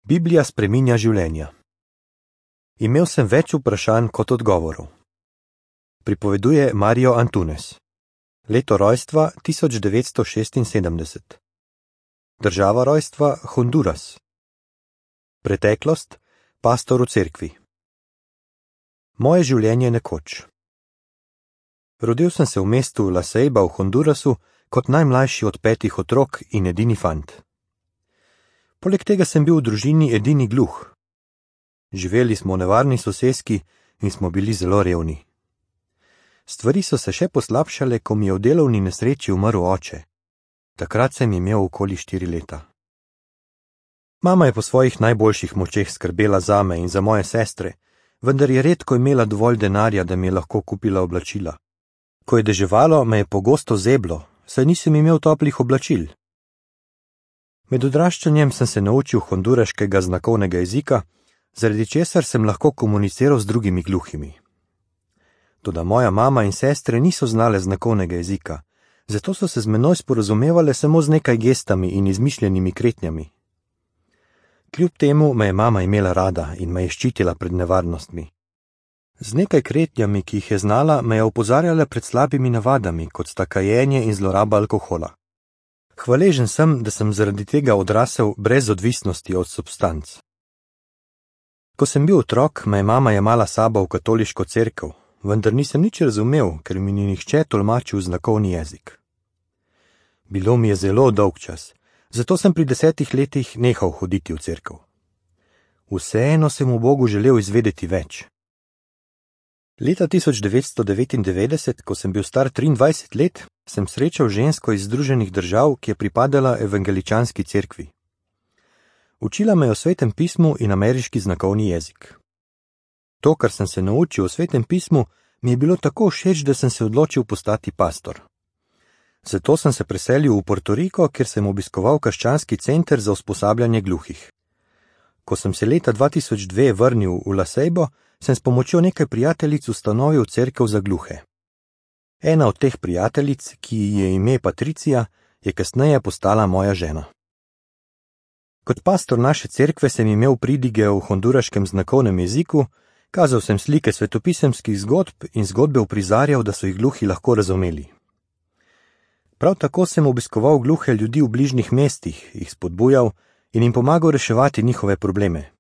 Biblija spreminja življenja. Imel sem več vprašanj kot odgovorov. Pripoveduje Mario Antunes. Leto rojstva 1976. Država rojstva Honduras. Preteklost pastor v cerkvi. Moje življenje nekoč. Rodil sem se v mestu La Ceiba v Hondurasu kot najmlajši od 5 otrok in edini fant. Poleg tega sem bil v družini edini gluh. Živeli smo v nevarni soseski in smo bili zelo revni. Stvari so se še poslabšale, ko mi je v delovni nesreči umrl oče. Takrat sem imel okoli 4 leta. Mama je po svojih najboljših močeh skrbela zame in za moje sestre, vendar je redko imela dovolj denarja, da mi je lahko kupila oblačila. Ko je deževalo, me je pogosto zeblo, saj nisem imel toplih oblačil. Med odraščanjem sem se naučil honduraškega znakovnega jezika, zaradi česar sem lahko komuniciral z drugimi gluhimi. Toda moja mama in sestre niso znale znakovnega jezika, zato so se z menoj sporazumevale samo z nekaj gestami in izmišljenimi kretnjami. Kljub temu me je mama imela rada in me je ščitila pred nevarnostmi. Z nekaj kretnjami, ki jih je znala, me je opozarjala pred slabimi navadami, kot sta kajenje in zloraba alkohola. Hvaležen sem, da sem zaradi tega odrasel brez odvisnosti od substanc. Ko sem bil otrok, me je mama jemala sabo v katoliško cerkev, vendar nisem nič razumel, ker mi ni nihče tolmačil znakovni jezik. Bilo mi je zelo dolg čas, zato sem pri 10 letih nehal hoditi v cerkev. Vseeno sem v Bogu želel izvedeti več. Leta 1999, ko sem bil star 23 let, sem srečal žensko iz Združenih držav, ki je pripadala evangeličanski cerkvi. Učila me je o Svetem pismu in ameriški znakovni jezik. To, kar sem se naučil o Svetem pismu, mi je bilo tako všeč, da sem se odločil postati pastor. Zato sem se preselil v Puerto Rico, kjer sem obiskoval krščanski center za usposabljanje gluhih. Ko sem se leta 2002 vrnil v La Ceibo, sem s pomočjo nekaj prijateljic ustanovil cerkev za gluhe. Ena od teh prijateljic, ki ji je ime Patricija, je kasneje postala moja žena. Kot pastor naše cerkve sem imel pridige v honduraškem znakovnem jeziku, kazal sem slike svetopisemskih zgodb in zgodbe uprizarjal, da so jih gluhi lahko razumeli. Prav tako sem obiskoval gluhe ljudi v bližnjih mestih, jih spodbujal in jim pomagal reševati njihove probleme.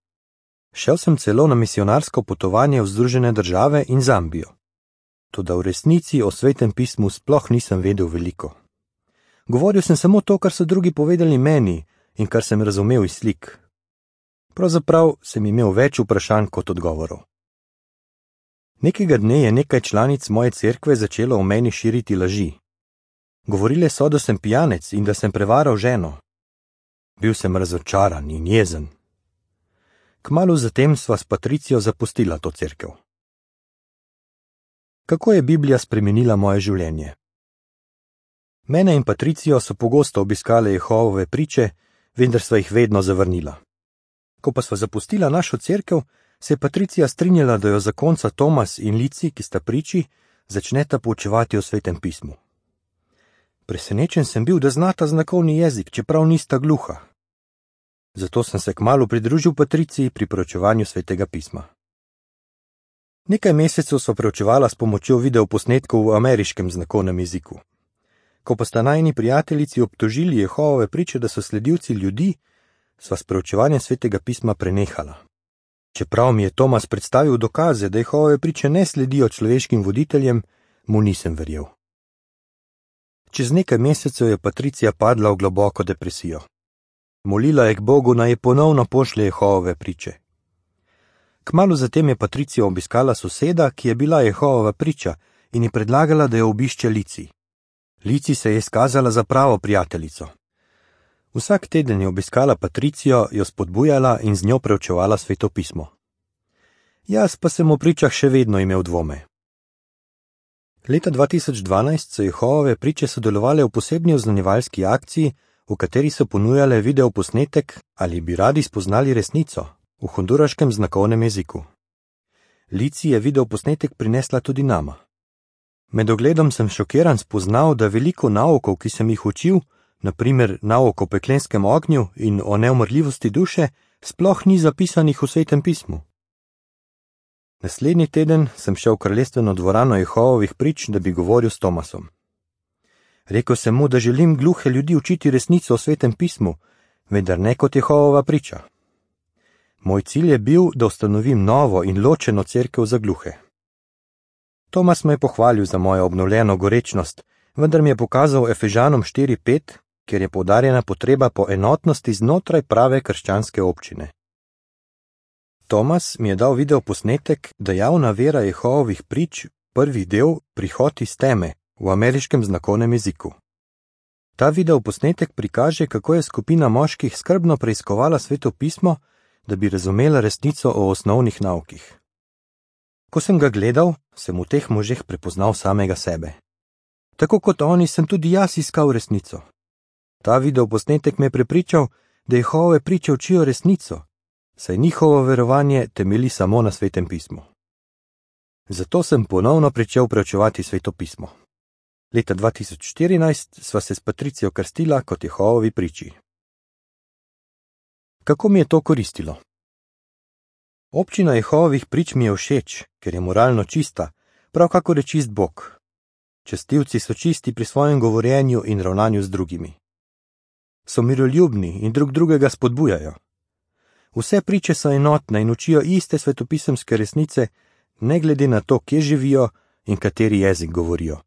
Šel sem celo na misionarsko potovanje v Združene države in Zambijo. Toda v resnici o Svetem pismu sploh nisem vedel veliko. Govoril sem samo to, kar so drugi povedali meni in kar sem razumel iz slik. Pravzaprav sem imel več vprašanj kot odgovorov. Nekega dne je nekaj članic moje cerkve začelo o meni širiti laži. Govorile so, da sem pijanec in da sem prevaral ženo. Bil sem razočaran in jezen. Kmalu zatem sva s Patricijo zapustila to cerkev. Kako je Biblija spremenila moje življenje? Mene in Patricijo so pogosto obiskale Jehovove priče, vendar sva jih vedno zavrnila. Ko pa sva zapustila našo cerkev, se je Patricija strinjala, da jo zakonca Tomas in Lici, ki sta priči, začneta poučevati o Svetem pismu. Presenečen sem bil, da znata znakovni jezik, čeprav nista gluha. Zato sem se kmalu pridružil Patriciji pri preučevanju Svetega pisma. Nekaj mesecev sva preučevala s pomočjo videoposnetkov v ameriškem znakovnem jeziku. Ko pa sta najini prijateljici obtožili Jehovove priče, da so sledilci ljudi, sva s preučevanjem Svetega pisma prenehala. Čeprav mi je Tomas predstavil dokaze, da Jehove priče ne sledijo človeškim voditeljem, mu nisem verjel. Čez nekaj mesecev je Patricija padla v globoko depresijo. Molila je k Bogu, naj je ponovno pošlje Jehovove priče. Kmalu zatem je Patricija obiskala soseda, ki je bila Jehovova priča, in ji predlagala, da jo obišče Lici. Lici se je izkazala za pravo prijateljico. Vsak teden je obiskala Patricijo, jo spodbujala in z njo preučevala Sveto pismo. Jaz pa sem o pričah še vedno imel dvome. Leta 2012 so Jehovove priče sodelovale v posebni oznanjevalski akciji, v kateri so ponujale videoposnetek Ali bi radi spoznali resnico v honduraškem znakovnem jeziku. Lici je videoposnetek prinesla tudi nama. Med ogledom sem šokiran spoznal, da veliko naukov, ki sem jih učil, na primer nauk o peklenskem ognju in o neumrljivosti duše, sploh ni zapisanih v Svetem pismu. Naslednji teden sem šel v kraljestveno dvorano Jehovovih prič, da bi govoril s Tomasom. Rekel sem mu, da želim gluhe ljudi učiti resnico o Svetem pismu, vendar ne kot Jehovova priča. Moj cilj je bil, da ustanovim novo in ločeno cerkev za gluhe. Tomas me je pohvalil za mojo obnovljeno gorečnost, vendar mi je pokazal Efežanom 4:5, kjer je poudarjena potreba po enotnosti znotraj prave krščanske občine. Tomas mi je dal video posnetek Dejavna vera Jehovovih prič, prvi del Prihod iz teme v ameriškem znakovnem jeziku. Ta video posnetek prikaže, kako je skupina moških skrbno preiskovala Sveto pismo, da bi razumela resnico o osnovnih naukih. Ko sem ga gledal, sem v teh možeh prepoznal samega sebe. Tako kot oni, sem tudi jaz iskal resnico. Ta video posnetek me je prepričal, da Jehove priče učijo resnico, saj njihovo verovanje temelji samo na Svetem pismu. Zato sem ponovno pričel preučevati Sveto pismo. Leta 2014 sva se s Patricijo krstila kot Jehovovi priči. Kako mi je to koristilo? Občina Jehovovih prič mi je všeč, ker je moralno čista, prav kakor je čist Bog. Častilci so čisti pri svojem govorjenju in ravnanju z drugimi. So miroljubni in drug drugega spodbujajo. Vse priče so enotne in učijo iste svetopisemske resnice, ne glede na to, kje živijo in kateri jezik govorijo.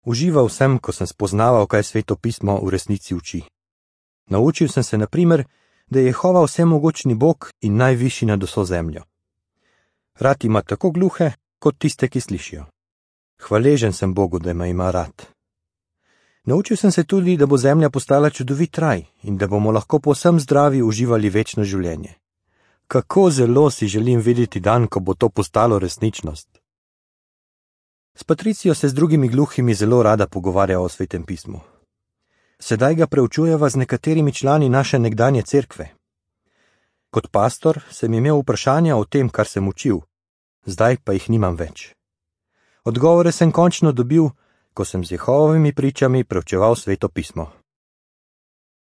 Užival sem, ko sem spoznaval, kaj Sveto pismo v resnici uči. Naučil sem se, na primer, da je Jehova vsemogočni Bog in najvišji nad vso zemljo. Rad ima tako gluhe, kot tiste, ki slišijo. Hvaležen sem Bogu, da me ima rad. Naučil sem se tudi, da bo zemlja postala čudovit raj in da bomo lahko povsem zdravi uživali večno življenje. Kako zelo si želim videti dan, ko bo to postalo resničnost. S Patricijo se z drugimi gluhimi zelo rada pogovarja o Svetem pismu. Sedaj ga preučujeva z nekaterimi člani naše nekdanje cerkve. Kot pastor sem imel vprašanja o tem, kar sem učil, zdaj pa jih nimam več. Odgovore sem končno dobil, ko sem z Jehovovimi pričami preučeval Sveto pismo.